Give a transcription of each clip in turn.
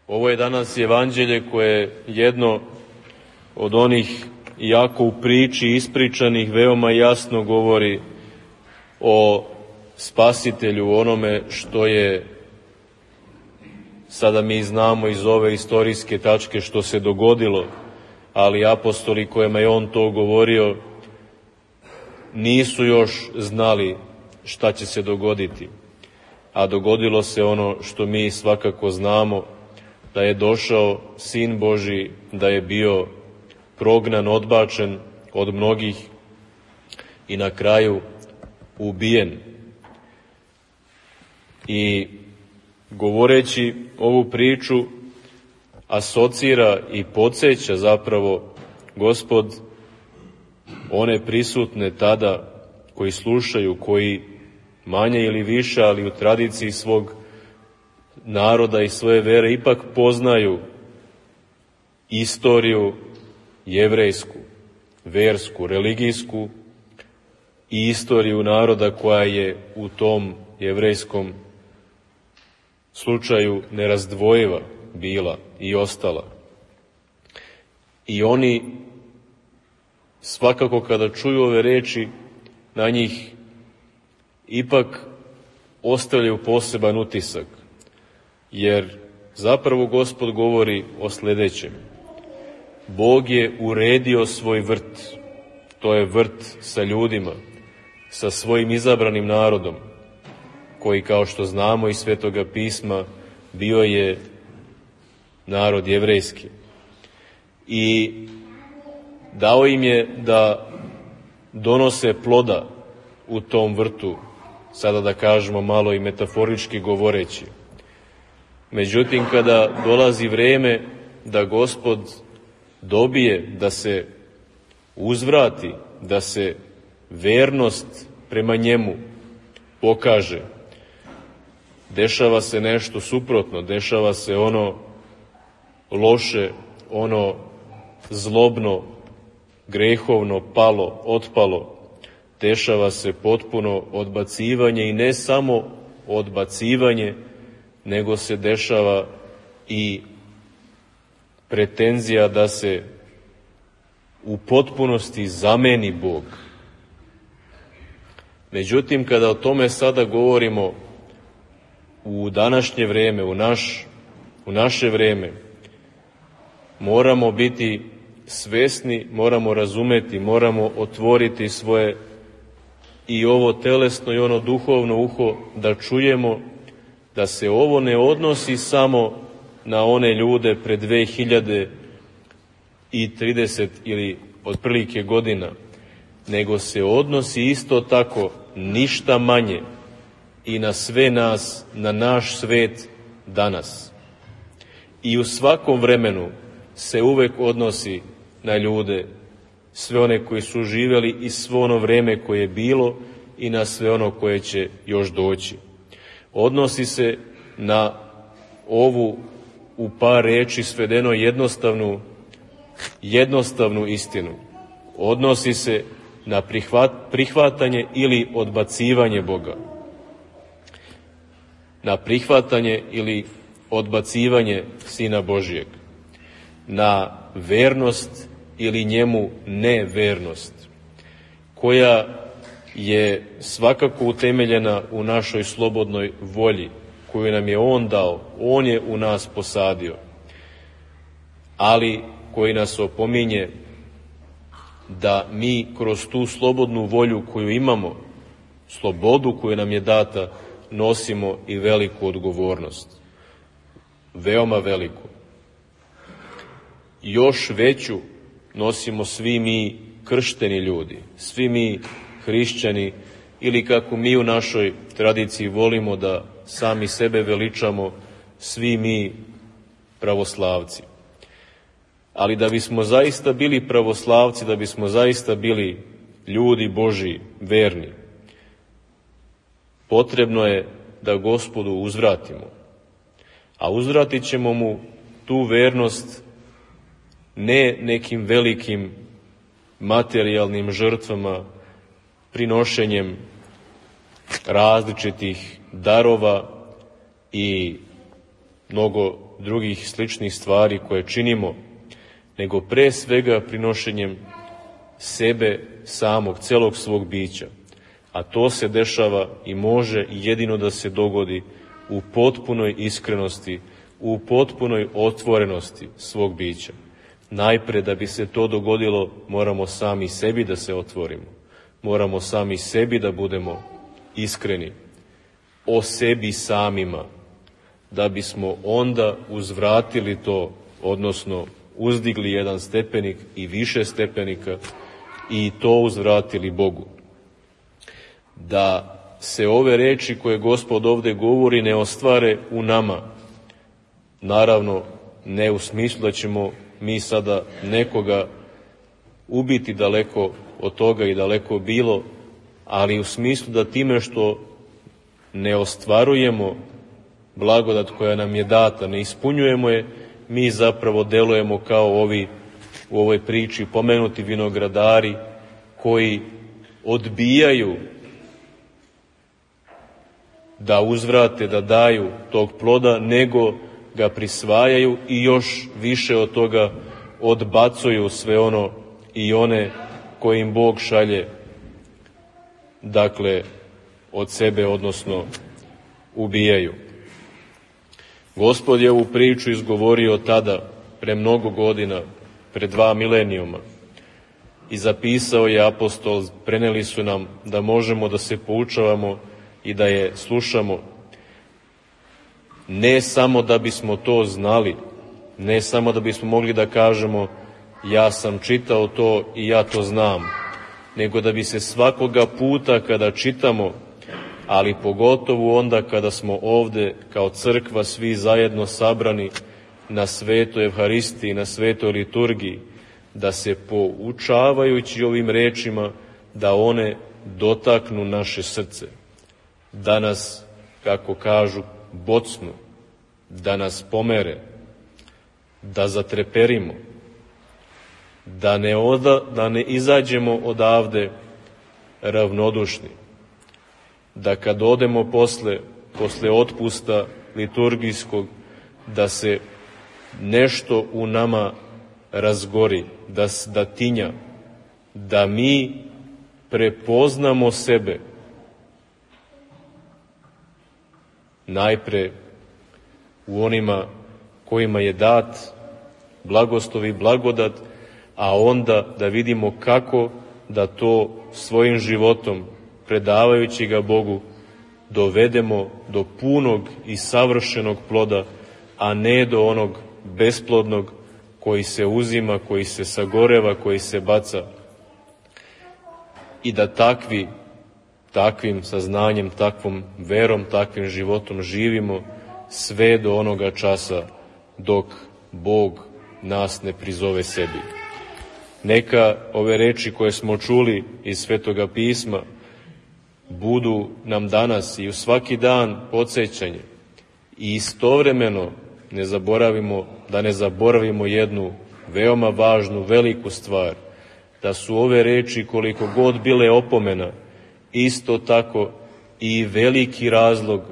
Ovo je danas evanđelje koje je jedno od onih, iako u priči ispričanih, veoma jasno govori o Spasitelju, onome što je, sada mi znamo iz ove istorijske tačke što se dogodilo, ali apostoli kojima je on to govorio nisu još znali šta će se dogoditi. A dogodilo se ono što mi svakako znamo, da je došao Sin Božji, da je bio prognan, odbačen od mnogih i na kraju ubijen. I govoreći ovu priču asocira i podsjeća zapravo Gospod one prisutne tada koji slušaju, koji manje ili više, ali u tradiciji svog naroda i svoje vere ipak poznaju istoriju jevrejsku, versku, religijsku i istoriju naroda koja je u tom jevrejskom slučaju nerazdvojiva bila i ostala. I oni svakako kada čuju ove reči, na njih ipak ostavljaju poseban utisak, jer zapravo Gospod govori o sledećem. Bog je uredio svoj vrt, to je vrt sa ljudima, sa svojim izabranim narodom, koji, kao što znamo iz Svetoga pisma, bio je narod jevrejski. I dao im je da donose ploda u tom vrtu, sada da kažemo malo i metaforički govoreći. Međutim, kada dolazi vreme da Gospod dobije, da se uzvrati, da se vernost prema njemu pokaže, dešava se nešto suprotno, dešava se ono loše, ono zlobno, grehovno, palo, otpalo, dešava se potpuno odbacivanje i ne samo odbacivanje, nego se dešava i pretenzija da se u potpunosti zameni Bog. Međutim, kada o tome sada govorimo u današnje vreme, u naše vreme, moramo biti svesni, moramo razumeti, moramo otvoriti svoje i ovo telesno i ono duhovno uho da čujemo da se ovo ne odnosi samo na one ljude pred 2030 ili otprilike godina, nego se odnosi isto tako ništa manje i na sve nas, na naš svet danas. I u svakom vremenu se uvek odnosi na ljude, sve one koji su živjeli i svo ono vreme koje je bilo i na sve ono koje će još doći. Odnosi se na ovu u par reči svedeno jednostavnu istinu. Odnosi se na prihvatanje ili odbacivanje Boga. Na prihvatanje ili odbacivanje Sina Božijeg. Na vernost ili njemu nevernost, koja je svakako utemeljena u našoj slobodnoj volji, koju nam je On dao, On je u nas posadio, ali koji nas opominje da mi kroz tu slobodnu volju koju imamo, slobodu koju nam je data, nosimo i veliku odgovornost. Veoma veliku. Još veću nosimo svi mi kršteni ljudi, svi mi hrišćani, ili kako mi u našoj tradiciji volimo da sami sebe veličamo, svi mi pravoslavci. Ali da bismo zaista bili pravoslavci, da bismo zaista bili ljudi Božji, verni, potrebno je da Gospodu uzvratimo. A uzvratit ćemo mu tu vernost ne nekim velikim materijalnim žrtvama, prinošenjem različitih darova i mnogo drugih sličnih stvari koje činimo, nego pre svega prinošenjem sebe samog, celog svog bića. A to se dešava i može jedino da se dogodi u potpunoj iskrenosti, u potpunoj otvorenosti svog bića. Najpre, da bi se to dogodilo, moramo sami sebi da se otvorimo. Moramo sami sebi da budemo iskreni o sebi samima, da bismo onda uzvratili to, odnosno uzdigli jedan stepenik i više stepenika i to uzvratili Bogu. Da se ove reči koje Gospod ovde govori ne ostvare u nama, naravno ne u smislu da ćemo mi sada nekoga ubiti, daleko od toga i daleko bilo, ali u smislu da time što ne ostvarujemo blagodat koja nam je data, ne ispunjujemo je, mi zapravo delujemo kao ovi u ovoj priči pomenuti vinogradari koji odbijaju da uzvrate, da daju tog ploda, nego ga prisvajaju i još više od toga odbacuju sve ono i one koje im Bog šalje, dakle, od sebe, odnosno ubijaju. Gospod je ovu priču izgovorio tada, pre mnogo godina, pre 2 milenijuma, i zapisao je apostol, preneli su nam da možemo da se poučavamo i da je slušamo, ne samo da bismo to znali, ne samo da bismo mogli da kažemo ja sam čitao to i ja to znam, nego da bi se svakoga puta kada čitamo, ali pogotovo onda kada smo ovde kao crkva svi zajedno sabrani na svetoj Evharistiji, na svetoj liturgiji, da se poučavajući ovim rečima, da one dotaknu naše srce, da nas, kako kažu, bocnu, da nas pomere, da zatreperimo, da ne izađemo odavde ravnodušni, da kad odemo posle otpusta liturgijskog, da se nešto u nama razgori, da tinja, da mi prepoznamo sebe najpre u onima kojima je dat blagoslov i blagodat, a onda da vidimo kako da to svojim životom, predavajući ga Bogu, dovedemo do punog i savršenog ploda, a ne do onog besplodnog koji se uzima, koji se sagoreva, koji se baca. I da takvim saznanjem, takvom verom, takvim životom živimo sve do onoga časa dok Bog nas ne prizove sebi. Neka ove reči koje smo čuli iz Svetoga pisma budu nam danas i u svaki dan podsjećanje i istovremeno ne zaboravimo jednu veoma važnu, veliku stvar, da su ove reči, koliko god bile opomena, isto tako i veliki razlog,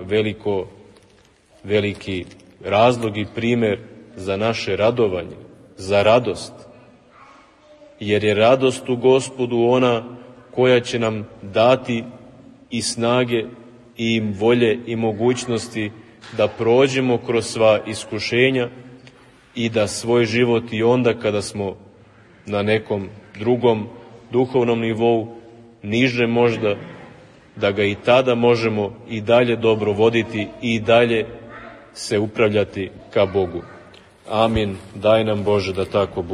veliki razlog i primer za naše radovanje, za radost. Jer je radost u Gospodu ona koja će nam dati i snage i volje i mogućnosti da prođemo kroz sva iskušenja i da svoj život i onda kada smo na nekom drugom duhovnom nivou, niže možda, da ga i tada možemo i dalje dobro voditi i dalje se upravljati ka Bogu. Amin. Daj nam Bože da tako bude.